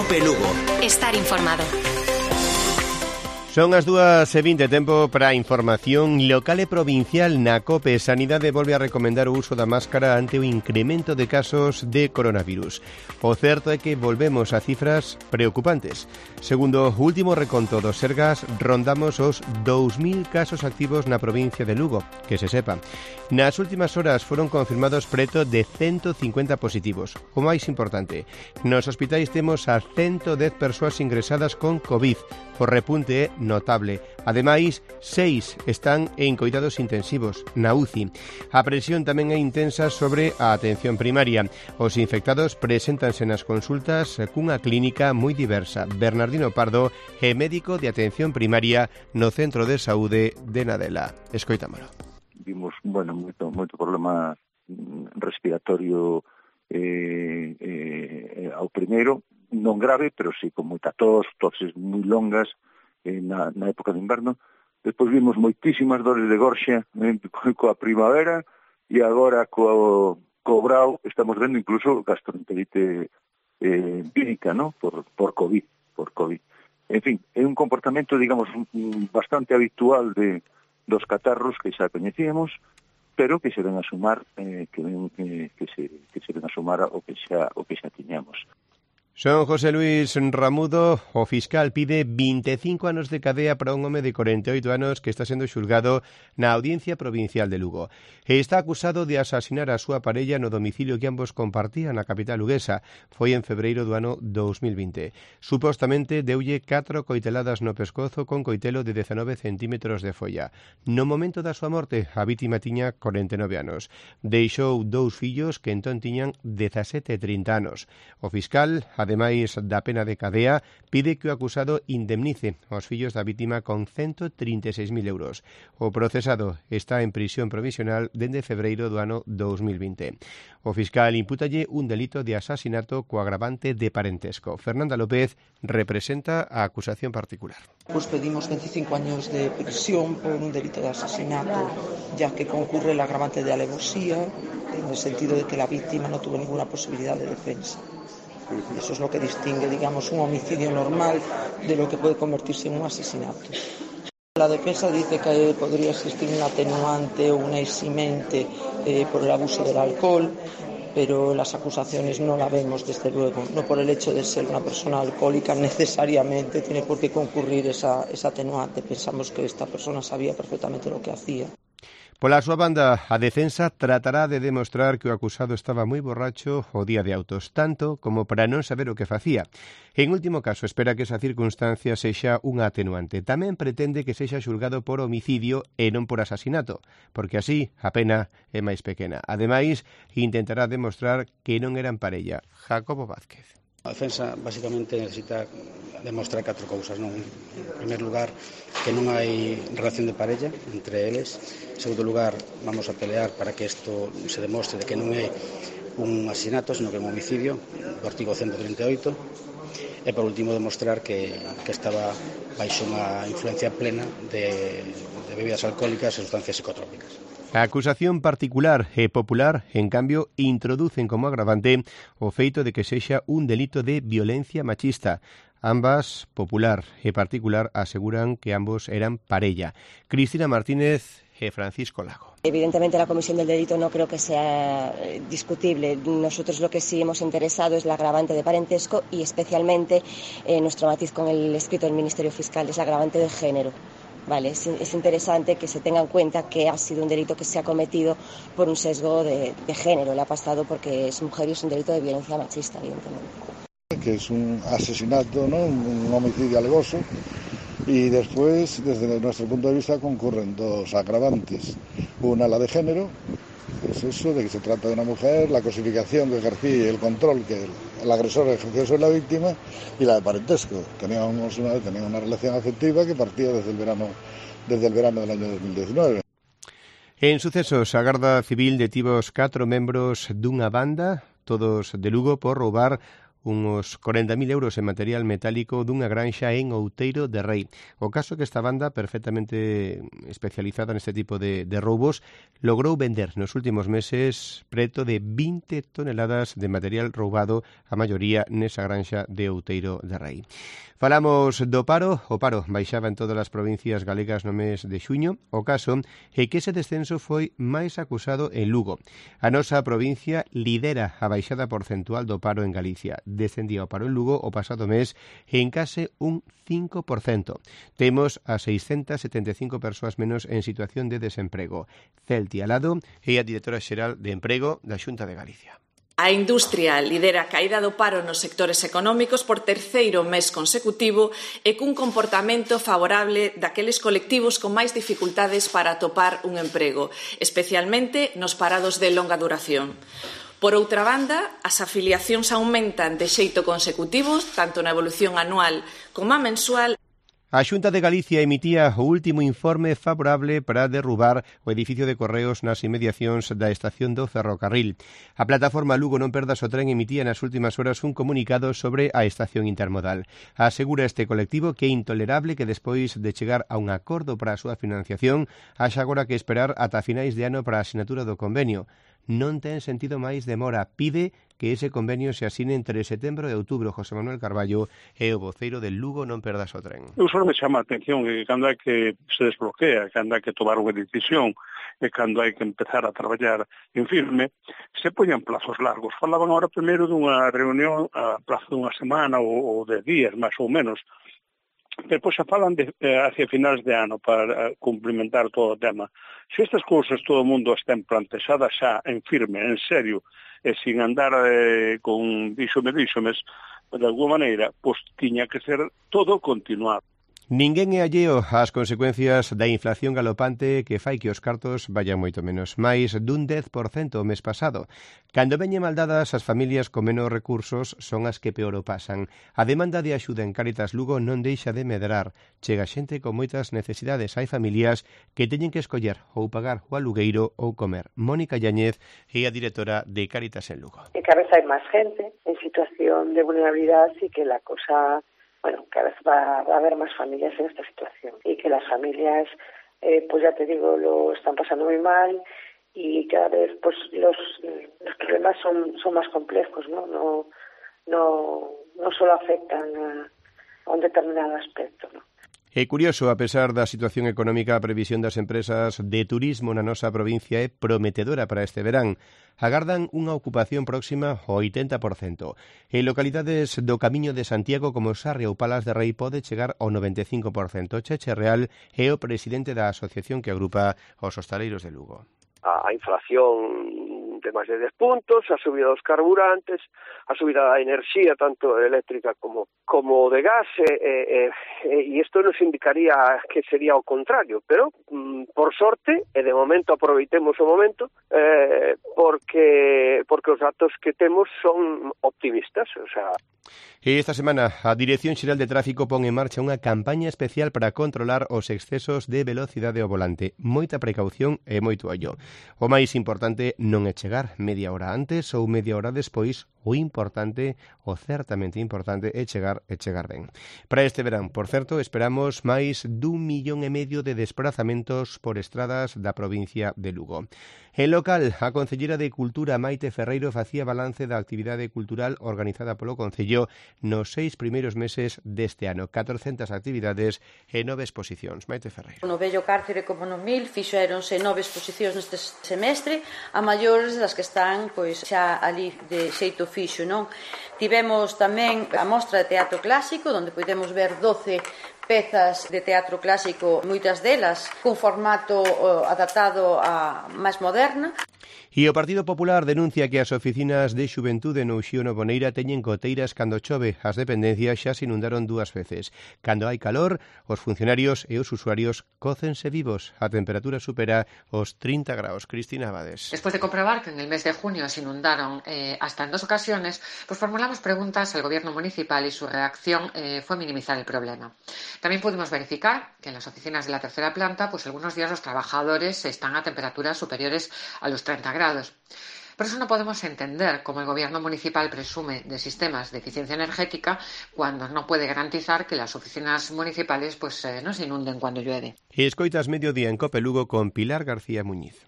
Cope Lugo. Estar informado. Son as 2:20, tempo para a información local e provincial na COPE. Sanidade volve a recomendar o uso da máscara ante o incremento de casos de coronavirus. O certo é que volvemos a cifras preocupantes. Segundo o último reconto do Sergas, rondamos os 2.000 casos activos na provincia de Lugo, que se sepa. Nas últimas horas foron confirmados preto de 150 positivos. O máis importante, nos hospitais temos a 110 persoas ingresadas con COVID. O repunte é notable. Ademais, 6 están en coidados intensivos, na UCI. A presión tamén é intensa sobre a atención primaria. Os infectados preséntanse nas consultas cunha clínica moi diversa. Bernardino Pardo é médico de atención primaria no Centro de Saúde de Nadela. Escoitámolo. Vimos, moito problema respiratorio ao primeiro, non grave, pero sí con moita toses moi longas na época de inverno. Despois vimos moitísimas dores de gorxa coa primavera e agora co brao estamos vendo incluso gastroenterite vírica, ¿no? por COVID. En fin, é un comportamento, digamos, bastante habitual dos catarros que xa coñecíamos, pero que se ven a sumar que se ven a sumar o que xa tiñamos. Son José Luis Ramudo. O fiscal pide 25 anos de cadea para un home de 48 anos que está sendo xulgado na Audiencia Provincial de Lugo. E está acusado de asasinar a súa parella no domicilio que ambos compartían na capital luguesa. Foi en febreiro do ano 2020. Supostamente deulle 4 coiteladas no pescozo con coitelo de 19 centímetros de folla. No momento da súa morte, a vítima tiña 49 anos. Deixou 2 fillos que entón tiñan 17 e 30 anos. O fiscal, ademais da pena de cadea, pide que o acusado indemnice aos fillos da vítima con 136.000 euros. O procesado está en prisión provisional dende febreiro do ano 2020. O fiscal impútalle un delito de asasinato co agravante de parentesco. Fernanda López representa a acusación particular. Pues pedimos 25 años de prisión por un delito de asesinato, ya que concurre el agravante de alevosía, en el sentido de que la víctima no tuvo ninguna posibilidad de defensa. Eso es lo que distingue, digamos, un homicidio normal de lo que puede convertirse en un asesinato. La defensa dice que podría existir un atenuante o una eximente por el abuso del alcohol, pero las acusaciones no la vemos, desde luego. No por el hecho de ser una persona alcohólica necesariamente tiene por qué concurrir esa atenuante. Pensamos que esta persona sabía perfectamente lo que hacía. Pola súa banda, a defensa tratará de demostrar que o acusado estaba moi borracho o día de autos, tanto como para non saber o que facía. En último caso, espera que esa circunstancia sexa unha atenuante. Tamén pretende que sexa xulgado por homicidio e non por asasinato, porque así a pena é máis pequena. Ademais, intentará demostrar que non eran parella. Jacobo Vázquez. A defensa basicamente necesita demostrar 4 cousas, non? En primer lugar, que non hai relación de parella entre eles. En segundo lugar, vamos a pelear para que isto se demostre de que non é un asesinato, sino que é un homicidio, do artigo 138. E por último, demostrar que estaba baixo unha influencia plena de bebidas alcohólicas e sustancias psicotrópicas. A acusación particular e popular, en cambio, introducen como agravante o feito de que sexa un delito de violencia machista. Ambas, popular e particular, aseguran que ambos eran parella. Cristina Martínez e Francisco Lago. Evidentemente la comisión del delito no creo que sea discutible. Nosotros lo que sí hemos interesado es el agravante de parentesco y especialmente nuestro matiz con el escrito del Ministerio Fiscal es el agravante de género. Vale, es interesante que se tenga en cuenta que ha sido un delito que se ha cometido por un sesgo de género. Le ha pasado porque es mujer y es un delito de violencia machista, evidentemente. Que es un asesinato, ¿no? Un homicidio alevoso. Y después, desde nuestro punto de vista, concurren 2 agravantes. Una, la de género, que es eso, de que se trata de una mujer, la cosificación que ejercía y el control que el agresor ejerció sobre la víctima, y la de parentesco. Teníamos una relación afectiva que partía desde el verano del año 2019. En sucesos, a Garda Civil detivo os 4 membros dunha banda, todos de Lugo, por roubar unos 40.000 euros en material metálico dunha granxa en Outeiro de Rei. O caso que esta banda, perfectamente especializada neste tipo de roubos, logrou vender nos últimos meses preto de 20 toneladas de material roubado, a maioría nesa granxa de Outeiro de Rei. Falamos do paro. O paro baixaba en todas as provincias galegas no mes de xuño. O caso é que ese descenso foi máis acusado en Lugo. A nosa provincia lidera a baixada porcentual do paro en Galicia. Descendía o paro en Lugo o pasado mes en case un 5%. Temos a 675 persoas menos en situación de desemprego. Celti Alado é a directora xeral de Emprego da Xunta de Galicia. A industria lidera a caída do paro nos sectores económicos por terceiro mes consecutivo e cun comportamento favorable daqueles colectivos con máis dificultades para atopar un emprego, especialmente nos parados de longa duración. Por outra banda, as afiliacións aumentan de xeito consecutivo, tanto na evolución anual como a mensual. A Xunta de Galicia emitía o último informe favorable para derrubar o edificio de correos nas inmediacións da estación do ferrocarril. A plataforma Lugo Non Perdas o Tren emitía nas últimas horas un comunicado sobre a estación intermodal. Asegura este colectivo que é intolerable que despois de chegar a un acordo para a súa financiación, haxa agora que esperar ata finais de ano para a asinatura do convenio. Non ten sentido máis demora. Pide que ese convenio se asine entre setembro e outubro. José Manuel Carballo é o voceiro del Lugo Non Perdas o Tren. Eu só me chama a atención que cando hai que se desbloquea, cando hai que tomar unha decisión e cando hai que empezar a traballar en firme, se poñan plazos largos. Falaban agora primeiro dunha reunión a plazo dunha semana ou de días, máis ou menos. Depois xa falan hacia finais de ano para cumplimentar todo o tema. Se estas cousas todo o mundo estén plantexadas xa en firme, en serio, e sin andar con díxomes, de alguma maneira, pois tiña que ser todo continuado. Ninguén é alleo ás consecuencias da inflación galopante que fai que os cartos vayan moito menos, máis dun 10% o mes pasado. Cando veñen maldadas, as familias con menos recursos son as que peor o pasan. A demanda de axuda en Cáritas Lugo non deixa de medrar. Chega xente con moitas necesidades. Hai familias que teñen que escoller ou pagar o alugueiro ou comer. Mónica Yáñez é a directora de Cáritas en Lugo. Que cada vez hai máis gente en situación de vulnerabilidade e que la cosa... Bueno, cada vez va a haber más familias en esta situación y que las familias, pues ya te digo, lo están pasando muy mal y cada vez pues los problemas son más complejos, ¿no? No solo afectan a un determinado aspecto, ¿no? É curioso, a pesar da situación económica, a previsión das empresas de turismo na nosa provincia é prometedora para este verán. Agardan unha ocupación próxima ao 80%. En localidades do Camiño de Santiago como Sarria ou Palas de Rei pode chegar ao 95%. Cheche Real é o presidente da asociación que agrupa os hostaleiros de Lugo. A inflación de máis de 10 puntos, a subida dos carburantes, a subida da enerxía, tanto eléctrica como de gas, e isto nos indicaría que sería o contrario, pero por sorte, e de momento aproveitemos o momento, porque os datos que temos son optimistas, o sea... E esta semana a Dirección Xeral de Tráfico pon en marcha unha campaña especial para controlar os excesos de velocidade ao volante. Moita precaución e moito ollo. O máis importante non é chegar media hora antes ou media hora despois. O importante, o certamente importante, é chegar ben. Para este verán, por certo, esperamos máis d'1,5 millón de desplazamentos por estradas da provincia de Lugo. En local, a Concellera de Cultura Maite Ferreiro facía balance da actividade cultural organizada polo Concello nos 6 primeiros meses deste ano. 400 actividades e 9 exposicións. Maite Ferreiro. No vello cárcere como no Mil fixéronse 9 exposicións neste semestre, a maiores das que están pois xa ali de xeito fixo, non? Tivemos tamén a mostra de teatro clásico, onde podemos ver 12 pezas de teatro clásico, moitas delas cun formato adaptado a máis moderna. E o Partido Popular denuncia que as oficinas de xuventude no Uxío no Boneira teñen goteiras cando chove. As dependencias xa se inundaron 2 veces. Cando hai calor, os funcionarios e os usuarios cócense vivos. A temperatura supera os 30 graus. Cristina Abades. Después de comprobar que en el mes de junio se inundaron hasta en 2 ocasiones, pues formulamos preguntas al gobierno municipal y su reacción fue minimizar el problema. También pudimos verificar que en las oficinas de la tercera planta, pues algunos días los trabajadores están a temperaturas superiores a los 30 grados. Por eso no podemos entender cómo el gobierno municipal presume de sistemas de eficiencia energética cuando no puede garantizar que las oficinas municipales no se inunden cuando llueve. Escoitas Mediodía en COPE Lugo con Pilar García Muñiz.